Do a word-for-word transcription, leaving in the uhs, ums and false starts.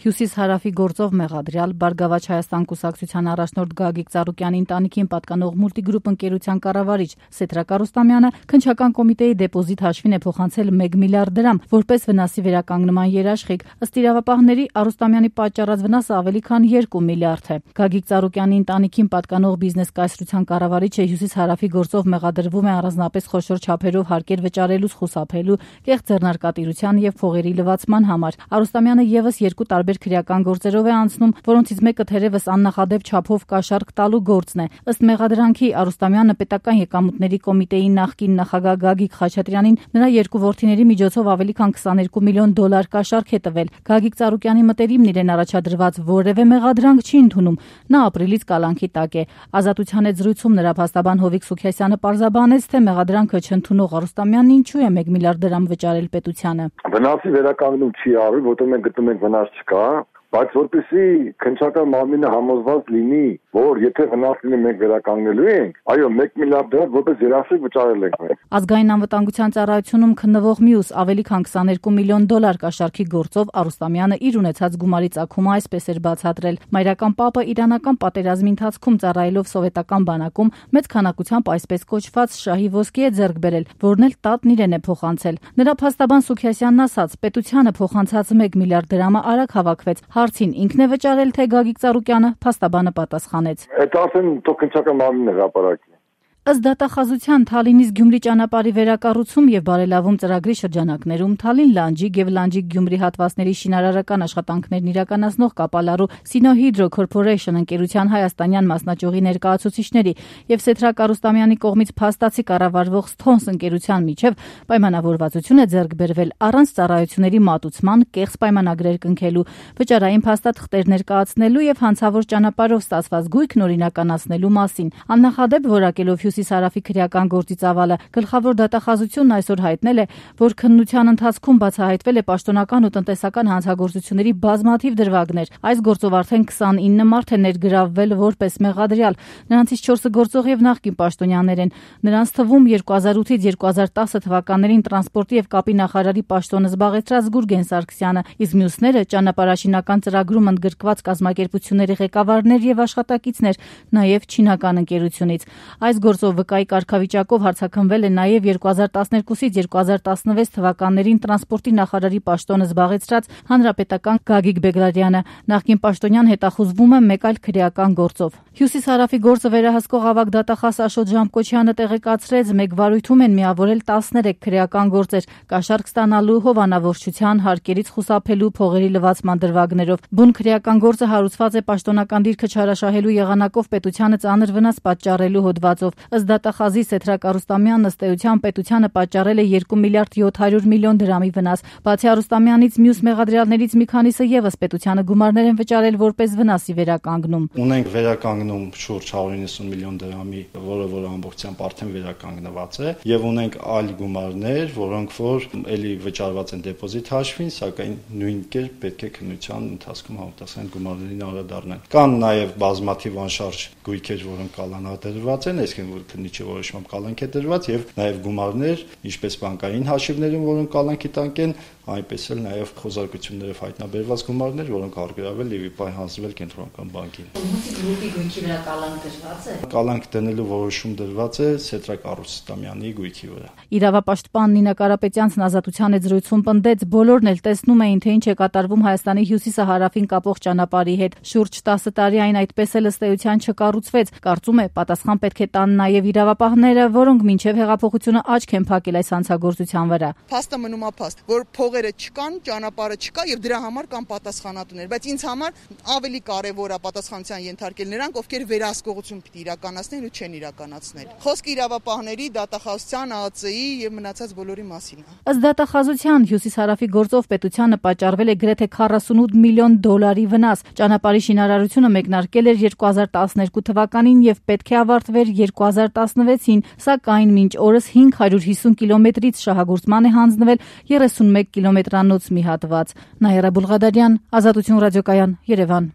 Հյուսիս-հարավի գործով մեղադրյալ Բարգավաճ Հայաստան կուսակցության առաջնորդ Գագիկ Ծառուկյանի ընտանիքին պատկանող Մուլտիգրուպ ընկերության կառավարիչ Սեդրակ Արուստամյանը քննչական կոմիտեի դեպոզիտ հաշվին է փոխանցել մեկ միլիարդ դրամ որպես վնասի վերականգնման երաշխիք։ Ըստ իրավապահների Արուստամյանի պատճառած վնասը ավելի քան երկու միլիարդ է։ Գագիկ Ծառուկյանի ընտանիքին պատկանող բիզնես կայսրության կառավարիչը Հյուսիս-հարավի գործով մեղադրվում է առանձնապես խոշոր չափերով հարկեր վճարելուց խուսափելու, կեղծ ձեռնարկատիրության եւ փողերի լվացման համար։ Արուստամյանը եւս երկու տարբեր քրեական գործերով է անցնում, որոնցից մեկը թերևս աննախադեպ չափով կաշառք տալու գործն է։ Ըստ մեղադրանքի Արուստամյանը պետական եկամուտների կոմիտեի նախկին նախագահ Գագիկ Խաչատրյանին նրա երկու որդիների միջոցով ավելի քան քսաներկու միլիոն դոլար կաշառք է տվել։ Գագիկ Ծառուկյանի մտերիմն իրեն առաջադրված որևէ մեղադրանք չի ընդունում։ Նա ապրիլից կալանքի տակ է։ Ազատության հետ զրույցում նրա փաստաբան Հովիկ Սուքիասյանը պարզաբանեց, թե մեղադրանքը չընդունող Արուստամյանն ինչու է մեկ միլիարդ դրամ վճարել պետությանը։ Վնասի վերականգնում չի արվել, որտեղ մենք գտնում ենք վնաս չկա, բայց որպեսզի քննչական մարմինը համոզված լինի, որ եթե վնաս լինի մենք վերականգնելու ենք, այո, մեկ միլիարդ դրամ որպես երաշխիք վճարել ենք մենք։ Ազգային անվտանգության ծառայությունում քննվող մյուս ավելի քան քսաներկու միլիոն դոլար կաշառքի գործով Արուստամյանը իր ունեցած գումարի ծագումը այսպես էր բացատրել. Մայրական պապը իրանական պատերազմի ընթացքում ծառայելով սովետական բանակում մեծ քանակությամբ այսպես կոչված շահի ոսկի է ձեռք բերել, որն էլ տատն իրեն է փոխանցել։ Նրա փաստաբան Սուքիասյանն ասաց, պետությանը փոխանցած մեկ միլիարդ դրամը արագ հավաքվեց։ Հարցին ինքն է վճարել, թե Գագիկ Ծառուկյանը, փաստաբանը պատասխանեց. Այդ ասեն թող քննչական մարմինը հրապարակի։ Ըստ դատախազության Թալինից Գյումրի ճանապարհի վերակառուցում եւ բարելավում ծրագրի շրջանակներում Թալին-Լանջիկ եւ Լանջիկ-Գյումրի հատվածների շինարարական աշխատանքներն իրականացնող Կապալարու Սինոհիդրո Corporation ընկերության հայաստանյան մասնաճյուղի ներկայացուցիչների եւ Սեդրակ Արուստամյանի կողմից փաստացի կառավարվող Սթոնս ընկերության միջև պայմանավորվածություն է ձեռք բերվել առանց ծառայությունների մատուցման, կեղծ պայմանագրեր կնքելու, վճարային փաստաթղթեր ներկայացնելու եւ հանցավոր ճանապարհով ստացված գույքն օրինականացնելու մասին։ Աննախադեպ որակելով Հյուսիս-հարավի քրեական գործի ծավալը գլխավոր դատախազությունն այսօր հայտնել է, որ քննության ընթացքում բացահայտվել է պաշտոնական ու տնտեսական հանցագործությունների բազմաթիվ դրվագներ։ Այս գործով արդեն քսանինը մարդ է ներգրավվել որպես մեղադրյալ։ Նրանցից չորսը գործող եւ նախկին պաշտոնյաներ են։ Նրանց թվում երկու հազար ութից երկու հազար տասը թվականներին տրանսպորտի եւ կապի նախարարի պաշտոնը զբաղեցրած Գուրգեն Սարգսյանը, իսկ մյուսները ճանապարհաշինական ծրագրում ընդգրկված կազմակերպությունների ղեկավարներ եւ աշխատակիցներ, նաեւ չինական ընկերությունից։ Այս գործով վկայի կարգավիճակով հարցաքննվել է նաև երկու հազար տասներկուսից երկու հազար տասնվեց թվականներին տրանսպորտի նախարարի պաշտոնը զբաղեցրած հանրապետական Գագիկ Բեգլարյանը։ Նախկին պաշտոնյան հետախուզվում է մեկ այլ քրեական գործով։ Հյուսիս-հարավի գործը վերահսկող ավագ դատախազ Աշոտ Ժամկոչյանը տեղեկացրեց, մեկ վարույթում են միավորել տասներեք քրեական գործեր՝ կաշառք ստանալու, հովանավորչության, հարկերից խուսափելու, փողերի լվացման դրվագներով։ Բուն քրեական գործը հարուցված է պաշտոնական դիրքը չարաշահելու եղանակով պետությանը ծանր վնաս պատճառելու հոդվածով։ Ըստ դատախազի Սեդրակ Արուստամյանն ըստ էության պետությանը պատճառել է երկու միլիարդ յոթ հարյուր միլիոն դրամի վնաս։ Բացի Արուստամյանից մյուս մեղադրյալներից մի քանիսը եւս պետությանը գումարներ են վճարել որպես վնասի վերականգնում։ Ունենք վերականգնում շուրջ հարյուր իննսուն միլիոն դրամի, որը որ ամբողջությամբ արդեն վերականգնված է, եւ ունենք այլ գումարներ, որոնք որ էլի վճարված են դեպոզիտ հաշվին, սակայն նույն կերպ պետք է քննության ընթացքում համապատասխան գումարներին անդրադառնան։ Կան նաեւ բազմաթիվ անշարժ գույքեր, որոնք կալանադրված են, այսինքն որ քննիչի որոշմամբ կալանք է դրված եւ նաեւ գումարներ, ինչպես բանկային հաշիվներում, որոնք կալանքի տանք են, այնպես էլ նաեւ խոզարկություններով հայտնաբերված գումարներ, որոնք արգելվել եւ պահանջվել կենտրոնական բանկին։ Մուլտիգրուպի գույքի վրա կալանք դրված է։ Կալանք դնելու որոշում դրված է Սեդրակ Արուստամյանի գույքի վրա։ Իրավապաշտպան Նինա Կարապետյանցն Ազատության հետ զրույցում պնդեց, բոլորն էլ տեսնում էին, թե ինչ է կատարվում Հայաստանի հյուսիսը հարավին կապող ճանապարհի հետ։ Շուրջ տասը տարի այն այդպես էլ ըստ էության չկառուցվեց։ Կարծում է, պատասխան պետք է տան նաեւ իրավապահները, որոնք մինչեւ հեղափոխությունը աչք են փակել այս հանցագործության վրա։ Փաստը մնում է փաստ, որ փողերը չկան, ճանապարհը չկա եւ դրա համար կան պատասխանատուներ, բայց ինձ համար ավելի կարեւոր է պատասխանության ենթարկել նրանք, ովքեր վերահսկողություն պիտի իրականացնեն ու չեն իրականացնել։ Խոսքը իրավապահների, դատախազության, ԱԱՑ-ի եւ մնացած բոլորի մասին է։ Ըստ դատախազության Հյուսիս-հարավի գործով պետությանը պատճառվել է գրեթե քառասունութ միլիոն դոլարի վնաս։ Ճանապարհի շինարարությունը մեկնարկել էր երկու հազար տասներկու թվականին եւ պետք է ավարտվեր երկու հազար տասնվեցին, սակայն մինչ օրս հինգ հարյուր հիսուն կիլոմետրից շահագործման է հանձնվել երեսունմեկ կիլոմետրանոց մի հատված։ Նաիրա Բուլղադարյան, Ազատություն ռադիոկայան, Երևան։